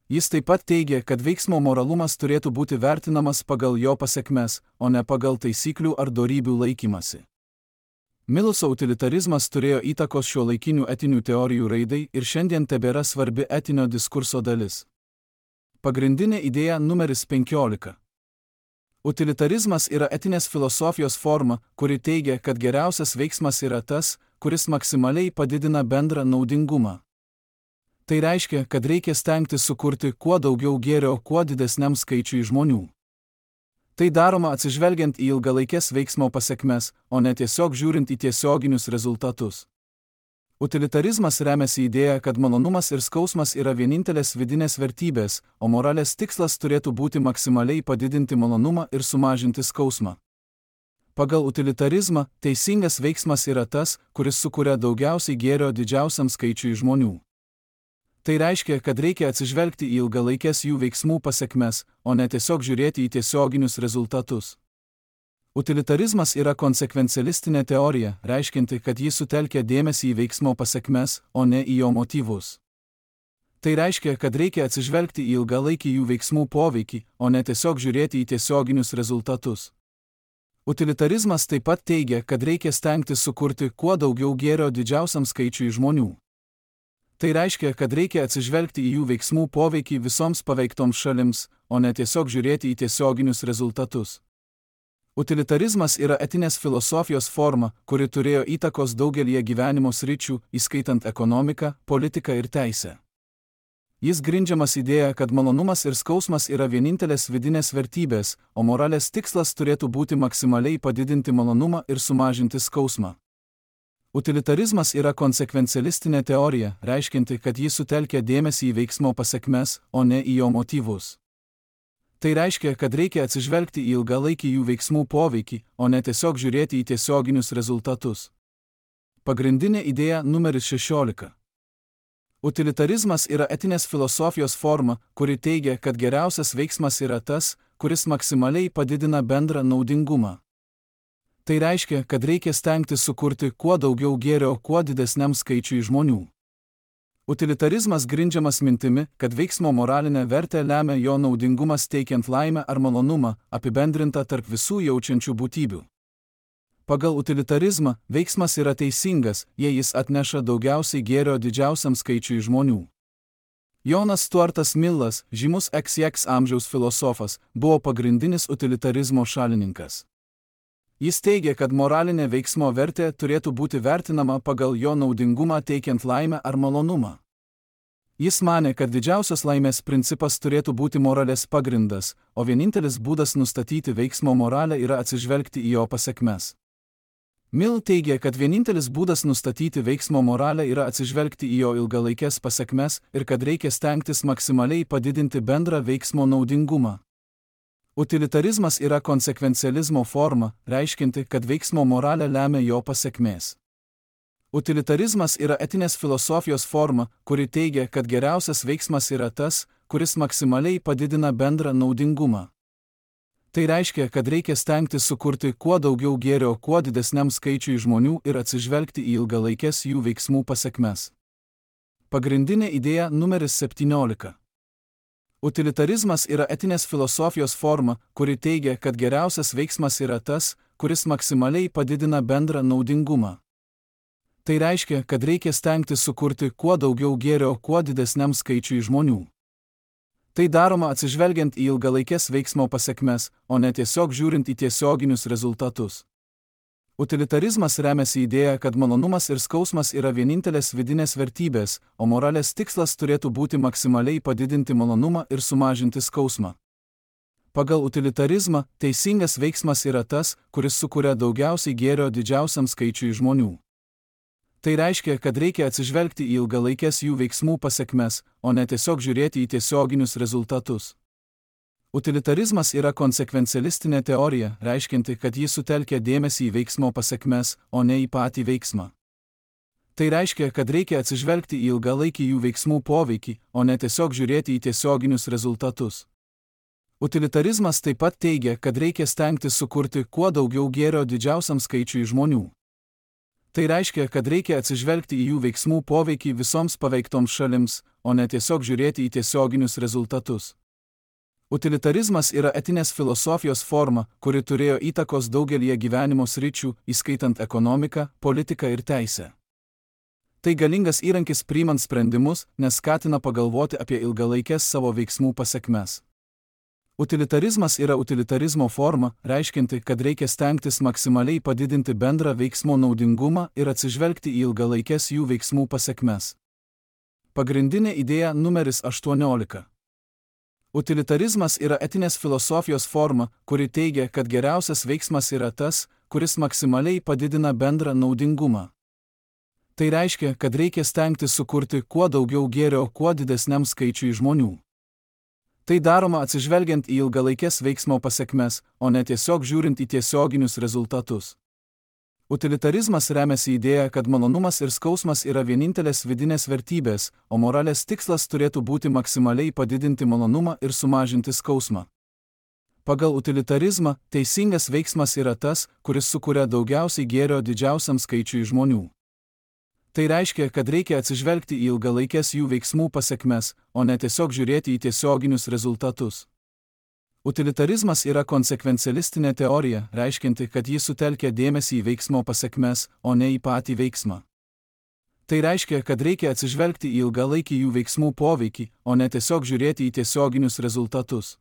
Jis taip pat teigia, kad veiksmo moralumas turėtų būti vertinamas pagal jo pasekmes, o ne pagal taisyklių ar dorybių laikymasi. Miluso utilitarizmas turėjo įtakos šiuolaikinių etinių teorijų raidai ir šiandien tebėra svarbi etinio diskurso dalis. Pagrindinė idėja numeris 15. Utilitarizmas yra etinės filosofijos forma, kuri teigia, kad geriausias veiksmas yra tas, kuris maksimaliai padidina bendrą naudingumą. Tai reiškia, kad reikia stengtis sukurti kuo daugiau gėrio kuo didesniam skaičiui žmonių. Tai daroma atsižvelgiant į ilgalaikės veiksmo pasekmes, o ne tiesiog žiūrint į tiesioginius rezultatus. Utilitarizmas remiasi idėja, kad malonumas ir skausmas yra vienintelės vidinės vertybės, o moralės tikslas turėtų būti maksimaliai padidinti malonumą ir sumažinti skausmą. Pagal utilitarizmą, teisingas veiksmas yra tas, kuris sukuria daugiausiai gėrio didžiausiam skaičiui žmonių. Tai reiškia, kad reikia atsižvelgti į ilgalaikės jų veiksmų pasekmes, o ne tiesiog žiūrėti į tiesioginius rezultatus. Utilitarizmas yra konsekvencialistinė teorija, reiškianti, kad ji sutelkia dėmesį į veiksmo pasekmes, o ne į jo motyvus. Tai reiškia, kad reikia atsižvelgti į ilgalaikį jų veiksmų poveikį, o ne tiesiog žiūrėti į tiesioginius rezultatus. Utilitarizmas taip pat teigia, kad reikia stengtis sukurti kuo daugiau gėrio didžiausiam skaičiui žmonių. Tai reiškia, kad reikia atsižvelgti į jų veiksmų poveikį visoms paveiktoms šalims, o ne tiesiog žiūrėti į tiesioginius rezultatus. Utilitarizmas yra etinės filosofijos forma, kuri turėjo įtakos daugelį gyvenimo sričių, įskaitant ekonomiką, politiką ir teisę. Jis grindžiamas idėja, kad malonumas ir skausmas yra vienintelės vidinės vertybės, o moralės tikslas turėtų būti maksimaliai padidinti malonumą ir sumažinti skausmą. Utilitarizmas yra konsekvencialistinė teorija, reiškianti, kad ji sutelkia dėmesį į veiksmo pasekmes, o ne į jo motyvus. Tai reiškia, kad reikia atsižvelgti į ilgalaikį jų veiksmų poveikį, o ne tiesiog žiūrėti į tiesioginius rezultatus. Pagrindinė idėja numeris 16. Utilitarizmas yra etinės filosofijos forma, kuri teigia, kad geriausias veiksmas yra tas, kuris maksimaliai padidina bendrą naudingumą. Tai reiškia, kad reikia stengtis sukurti kuo daugiau gėrio kuo didesniam skaičiui žmonių. Utilitarizmas grindžiamas mintimi, kad veiksmo moralinę vertę lemia jo naudingumas teikiant laimę ar malonumą, apibendrinta tarp visų jaučiančių būtybių. Pagal utilitarizmą veiksmas yra teisingas, jei jis atneša daugiausiai gėrio didžiausiam skaičiui žmonių. Jonas Stuartas Millas, žymus XX amžiaus filosofas, buvo pagrindinis utilitarizmo šalininkas. Jis teigia, kad moralinė veiksmo vertė turėtų būti vertinama pagal jo naudingumą teikiant laimę ar malonumą. Jis manė, kad didžiausios laimės principas turėtų būti moralės pagrindas, o vienintelis būdas nustatyti veiksmo moralę yra atsižvelgti į jo pasekmes. Mill teigia, kad vienintelis būdas nustatyti veiksmo moralę yra atsižvelgti į jo ilgalaikes pasekmes ir kad reikia stengtis maksimaliai padidinti bendrą veiksmo naudingumą. Utilitarizmas yra konsekvencializmo forma, reiškianti, kad veiksmo moralę lemia jo pasekmės. Utilitarizmas yra etinės filosofijos forma, kuri teigia, kad geriausias veiksmas yra tas, kuris maksimaliai padidina bendrą naudingumą. Tai reiškia, kad reikia stengtis sukurti kuo daugiau gėrio kuo didesniam skaičiui žmonių ir atsižvelgti į ilgalaikes jų veiksmų pasekmes. Pagrindinė idėja numeris 17. Utilitarizmas yra etinės filosofijos forma, kuri teigia, kad geriausias veiksmas yra tas, kuris maksimaliai padidina bendrą naudingumą. Tai reiškia, kad reikia stengtis sukurti kuo daugiau gėrio kuo didesniam skaičiui žmonių. Tai daroma atsižvelgiant į ilgalaikes veiksmo pasekmes, o ne tiesiog žiūrint į tiesioginius rezultatus. Utilitarizmas remiasi idėja, kad malonumas ir skausmas yra vienintelės vidinės vertybės, o moralės tikslas turėtų būti maksimaliai padidinti malonumą ir sumažinti skausmą. Pagal utilitarizmą, teisingas veiksmas yra tas, kuris sukuria daugiausiai gėrio didžiausiam skaičiui žmonių. Tai reiškia, kad reikia atsižvelgti į ilgalaikes jų veiksmų pasekmes, o ne tiesiog žiūrėti į tiesioginius rezultatus. Utilitarizmas yra konsekvencialistinė teorija, reiškianti, kad ji sutelkia dėmesį į veiksmo pasekmes, o ne į patį veiksmą. Tai reiškia, kad reikia atsižvelgti į ilgalaikį jų veiksmų poveikį, o ne tiesiog žiūrėti į tiesioginius rezultatus. Utilitarizmas taip pat teigia, kad reikia stengtis sukurti kuo daugiau gėrio didžiausiam skaičiui žmonių. Tai reiškia, kad reikia atsižvelgti į jų veiksmų poveikį visoms paveiktoms šalims, o ne tiesiog žiūrėti į tiesioginius rezultatus. Utilitarizmas yra etinės filosofijos forma, kuri turėjo įtakos daugelį gyvenimo sričių, įskaitant ekonomiką, politiką ir teisę. Tai galingas įrankis priimant sprendimus, nes skatina pagalvoti apie ilgalaikes savo veiksmų pasekmes. Utilitarizmas yra utilitarizmo forma, reiškianti, kad reikia stengtis maksimaliai padidinti bendrą veiksmo naudingumą ir atsižvelgti į ilgalaikes jų veiksmų pasekmes. Pagrindinė idėja numeris 18. Utilitarizmas yra etinės filosofijos forma, kuri teigia, kad geriausias veiksmas yra tas, kuris maksimaliai padidina bendrą naudingumą. Tai reiškia, kad reikia stengtis sukurti kuo daugiau gėrio kuo didesniam skaičiui žmonių. Tai daroma atsižvelgiant į ilgalaikes veiksmo pasekmes, o ne tiesiog žiūrint į tiesioginius rezultatus. Utilitarizmas remiasi idėja, kad malonumas ir skausmas yra vienintelės vidinės vertybės, o moralės tikslas turėtų būti maksimaliai padidinti malonumą ir sumažinti skausmą. Pagal utilitarizmą, teisingas veiksmas yra tas, kuris sukuria daugiausiai gėrio didžiausiam skaičiui žmonių. Tai reiškia, kad reikia atsižvelgti į ilgalaikes jų veiksmų pasekmes, o ne tiesiog žiūrėti į tiesioginius rezultatus. Utilitarizmas yra konsekvencialistinė teorija, reiškianti, kad ji sutelkia dėmesį į veiksmo pasekmes, o ne į patį veiksmą. Tai reiškia, kad reikia atsižvelgti į ilgalaikį jų veiksmų poveikį, o ne tiesiog žiūrėti į tiesioginius rezultatus.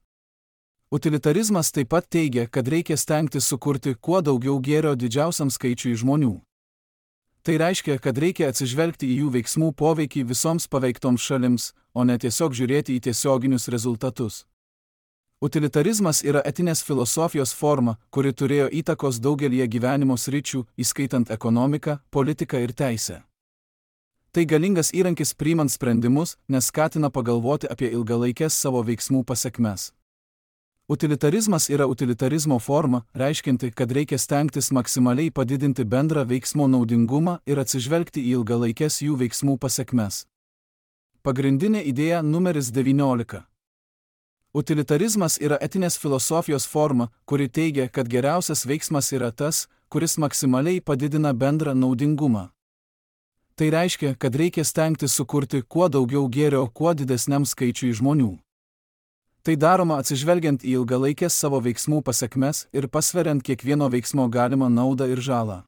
Utilitarizmas taip pat teigia, kad reikia stengtis sukurti kuo daugiau gėrio didžiausiam skaičiui žmonių. Tai reiškia, kad reikia atsižvelgti į jų veiksmų poveikį visoms paveiktoms šalims, o ne tiesiog žiūrėti į tiesioginius rezultatus. Utilitarizmas yra etinės filosofijos forma, kuri turėjo įtakos daugelį gyvenimo sričių, įskaitant ekonomiką, politiką ir teisę. Tai galingas įrankis priimant sprendimus, nes skatina pagalvoti apie ilgalaikes savo veiksmų pasekmes. Utilitarizmas yra utilitarizmo forma, reiškianti, kad reikia stengtis maksimaliai padidinti bendrą veiksmo naudingumą ir atsižvelgti į ilgalaikes jų veiksmų pasekmes. Pagrindinė idėja numeris 19. Utilitarizmas yra etinės filosofijos forma, kuri teigia, kad geriausias veiksmas yra tas, kuris maksimaliai padidina bendrą naudingumą. Tai reiškia, kad reikia stengtis sukurti kuo daugiau gėrio kuo didesniam skaičiui žmonių. Tai daroma atsižvelgiant į ilgalaikės savo veiksmų pasekmes ir pasveriant kiekvieno veiksmo galimą naudą ir žalą.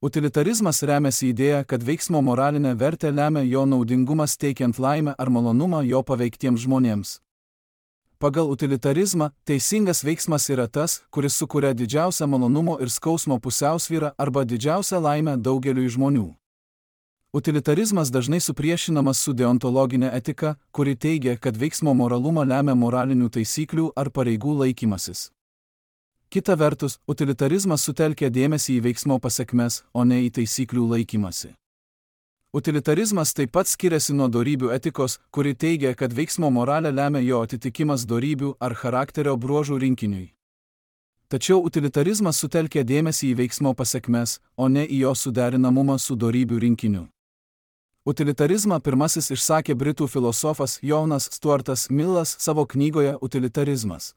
Utilitarizmas remiasi idėja, kad veiksmo moralinę vertę lemia jo naudingumas teikiant laimę ar malonumą jo paveiktiems žmonėms. Pagal utilitarizmą, teisingas veiksmas yra tas, kuris sukuria didžiausią malonumo ir skausmo pusiausvyrą arba didžiausią laimę daugeliui žmonių. Utilitarizmas dažnai supriešinamas su deontologinė etika, kuri teigia, kad veiksmo moralumą lemia moralinių taisyklių ar pareigų laikymasis. Kita vertus, utilitarizmas sutelkia dėmesį į veiksmo pasekmes, o ne į taisyklių laikymasi. Utilitarizmas taip pat skiriasi nuo dorybių etikos, kuri teigia, kad veiksmo moralę lemia jo atitikimas dorybių ar charakterio bruožų rinkiniui. Tačiau utilitarizmas sutelkia dėmesį į veiksmo pasekmes, o ne į jo suderinamumą su dorybių rinkiniu. Utilitarizmą pirmasis išsakė britų filosofas Jonas Stuartas Millas savo knygoje Utilitarizmas.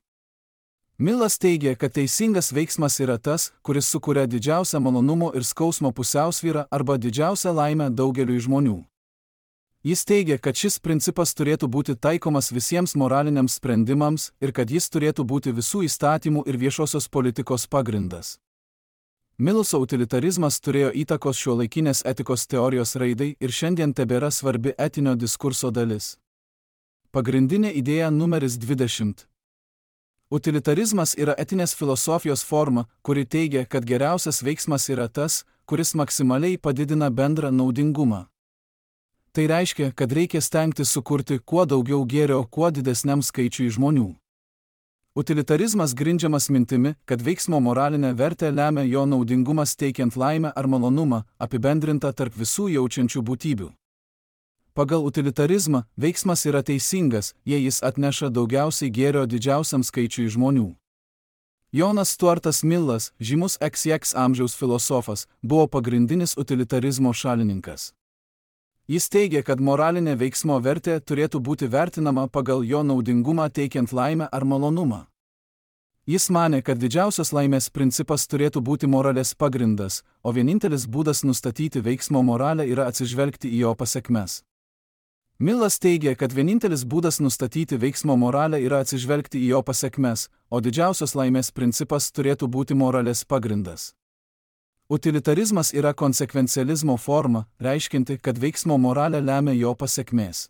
Millas teigia, kad teisingas veiksmas yra tas, kuris sukuria didžiausią malonumo ir skausmo pusiausvyrą arba didžiausią laimę daugeliui žmonių. Jis teigia, kad šis principas turėtų būti taikomas visiems moraliniams sprendimams ir kad jis turėtų būti visų įstatymų ir viešosios politikos pagrindas. Miluso utilitarizmas turėjo įtakos šiuolaikinės etikos teorijos raidai ir šiandien tebėra svarbi etinio diskurso dalis. Pagrindinė idėja numeris 20. Utilitarizmas yra etinės filosofijos forma, kuri teigia, kad geriausias veiksmas yra tas, kuris maksimaliai padidina bendrą naudingumą. Tai reiškia, kad reikia stengtis sukurti kuo daugiau gėrio kuo didesniam skaičiui žmonių. Utilitarizmas grindžiamas mintimi, kad veiksmo moralinę vertę lemia jo naudingumas teikiant laimę ar malonumą, apibendrinta tarp visų jaučiančių būtybių. Pagal utilitarizmą, veiksmas yra teisingas, jei jis atneša daugiausiai gėrio didžiausiam skaičiui žmonių. Jonas Stuartas Millas, žymus XX amžiaus filosofas, buvo pagrindinis utilitarizmo šalininkas. Jis teigia, kad moralinė veiksmo vertė turėtų būti vertinama pagal jo naudingumą teikiant laimę ar malonumą. Jis manė, kad didžiausios laimės principas turėtų būti moralės pagrindas, o vienintelis būdas nustatyti veiksmo moralę yra atsižvelgti į jo pasekmes. Millas teigia, kad vienintelis būdas nustatyti veiksmo moralę yra atsižvelgti į jo pasekmes, o didžiausios laimės principas turėtų būti moralės pagrindas. Utilitarizmas yra konsekvencializmo forma, reiškinti, kad veiksmo moralę lemia jo pasekmės.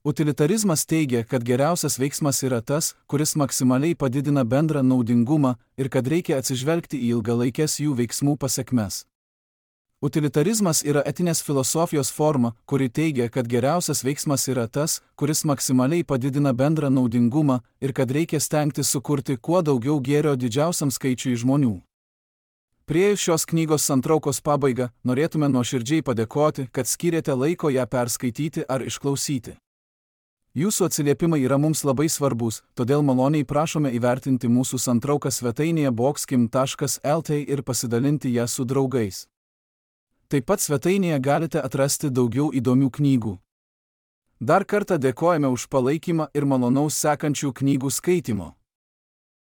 Utilitarizmas teigia, kad geriausias veiksmas yra tas, kuris maksimaliai padidina bendrą naudingumą ir kad reikia atsižvelgti į ilgalaikės jų veiksmų pasekmes. Utilitarizmas yra etinės filosofijos forma, kuri teigia, kad geriausias veiksmas yra tas, kuris maksimaliai padidina bendrą naudingumą ir kad reikia stengtis sukurti kuo daugiau gėrio didžiausiam skaičiui žmonių. Priėjus šios knygos santraukos pabaigą, norėtume nuoširdžiai padėkoti, kad skyrėte laiko ją perskaityti ar išklausyti. Jūsų atsiliepimai yra mums labai svarbus, todėl maloniai prašome įvertinti mūsų santrauką svetainėje boxkim.lt ir pasidalinti ją su draugais. Taip pat svetainėje galite atrasti daugiau įdomių knygų. Dar kartą dėkojame už palaikymą ir malonaus sekančių knygų skaitimo.